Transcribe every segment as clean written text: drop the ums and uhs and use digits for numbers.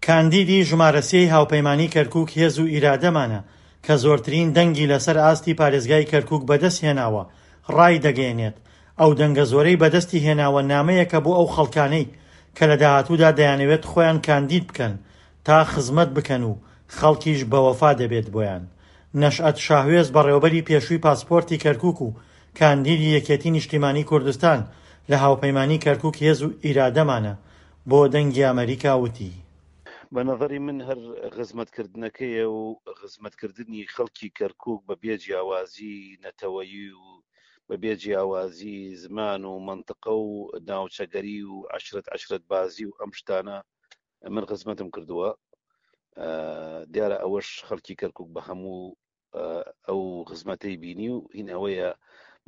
کاندیدی ژمارە سێی هاوپەیمانی کەرکوک هێز و ئیرادەمانە کە زۆرترین دەنگی لەسەر ئاستی پارێزگای کەرکوک بەدەستهێناوە ڕایدەگەیەنێت، ئەو دەنگە زۆرەی بەدەستی هێناوە نامەیەکە بۆ ئەو خەڵکانەی کە لە داهاتوودا دەیانەوێت خۆیان کاندید بکەن تا خزمەت بکەن و خەڵکیش بەوەفا دەبێت بۆیان. نەشئەت شاهوێز بەڕێوەبەری پێشووی پاسپۆرتی کەرکوک و کاندیدی یەکێتی نیشتیمانی کوردستان لە هاوپەیمانی کەرکوک هێز و ئیرادەمانە بۆ دەنگی ئەمەریکا وتی. بە نەزەری من هەر خزمەتکردنەکەیە و خزمەتکردنی خەڵکی کەرکوک بە بێ جیاوازی نەتەوەیی و بە بێ جیاوازی زمان و مەنتقە و ناوچەگەری و عەشرەت عەشرەت بازی و ئەم شتانە من خزمەتم کردووە دیارە ئەوەش خەڵکی کەرکک بە هەموو ئەو خزمەتەی بینی و هین ئەوەیە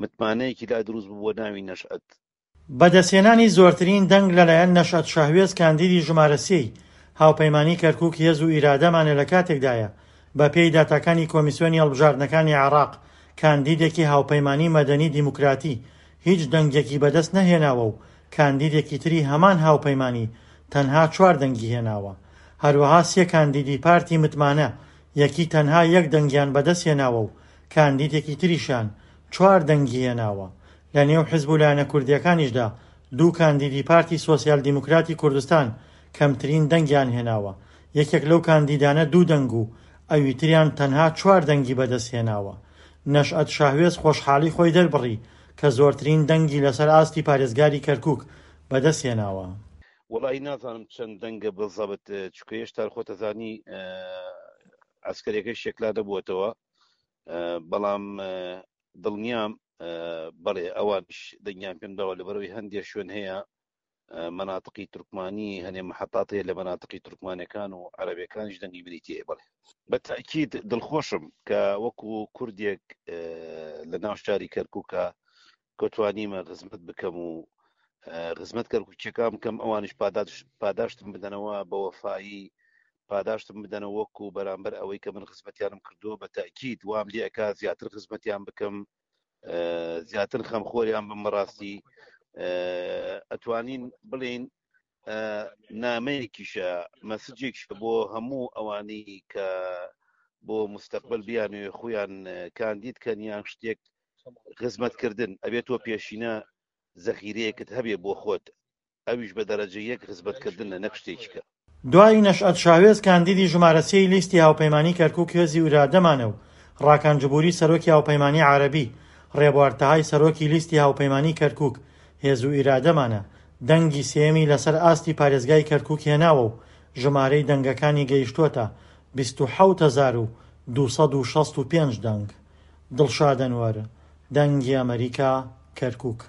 متمانەیەکی لا دروست بووە ناوی نەشئەت. بەدەستهێنانی زۆرترین دەنگ لەلایەن نەشئەت شاهوێز کاندیدی ژمارە سێی هاوپەیمانی کەرکوک هێز و ئیرادەمانە لەکاتێکدایە بەپێی داتاکانی کۆمیسیۆنی هەڵبژاردنەکانی عێراق کاندیدێکی هاوپەیمانی مەدەنی دیموکراتی هیچ دەنگێکی بەدەست نەهێناوە و کاندیدێکی تری هەمان هاوپەیمانی تەنها چوار دەنگی هێناوە. هەروەها سێ کاندیدی پارتی متمانە یەکی تەنها یەک دەنگیان بەدەستهێناوە و کاندیدێکی تریشیان چوار دەنگی هێناوە. لە نێو حزب و لایەنە کوردییەکانیشدا دوو کاندیدی پارتی سۆسیال دیموکراتی کوردستان کەمترین دەنگیان هێناوە، یەکێک لەو کاندیدانە دوو دەنگ و ئەوی تریان تەنها چوار دەنگی بەدەستهێناوە. نەشئەت شاهوێز خۆشحاڵی خۆی دەربڕی کە زۆرترین دەنگی لەسەر ئاستی پارێزگاری کەرکوک بەدەستهێناوە. وەڵاهی نازانم چەند دەنگە بزەبت چونکە هێشتا خۆتەزانی عەسکەریەکەش یەکلا نەبووەتەوە بەڵام دڵنیام بەڵێ ئەوانیش دەنگیان پێم داوە لەبەرەوەی هەندێک شوێن هەیە مەناتقی تورکمانی هەنێ محەتات هەیە لە مەناتقی تورکمانەکان و عەرەبەکانیش دەنگی منی تێ بڵێ بە تاکید دڵخۆشم کە وەکو کوردێک لە ناو شاری کەرکووکە کە توانیمە خزمەت بکەم و خزمەت کەرکووکیەکان بکەم ئەوانیش پاداشتم بدەنەوە بە وەفایی پاداشتم بدەنەوە وەکو بەرامبەر ئەوەی کە من خزمەتیانم کردووە بە تاکید وام لێ ئەکا زیاتر خزمەتیان بکەم زیاتر خەمخۆریان بم بەڕاستی ئەتوانین بڵین نامەیەکیشە مەسجێکیشە بۆ هەموو ئەوانەی کە بۆ مستەقبل بیانوێ خۆیان کاندید کەن یان شتێک خزمەتکردن ئەبێت تۆ پێشینە زەخیرەیەکت هەبێ بۆ خۆت ئەویش بە دەرەجە یەک خزمەتکردنە نەک شتێکی کە. دوای نەشئەت شاوێز کاندیدی ژمارە سێی لیستی هاوپەیمانی کەرکوک هێزی ئیرادەمانە و ڕاکان جبوری سەرۆکی هاوپەیمانی عەرەبی، ڕێبوار تەهای سەرۆکی لیستی هاوپەیمانی کەرکوک هێز و ئیرادەمانە، دەنگی سێیەمی لەسەر ئاستی پارێزگای کەرکوک هێناوە و ژمارەی دەنگەکانی گەیشتووەتە 27,265 دەنگ. دڵشاد ئەنوەر، دەنگی ئەمەریکا، کەرکوک.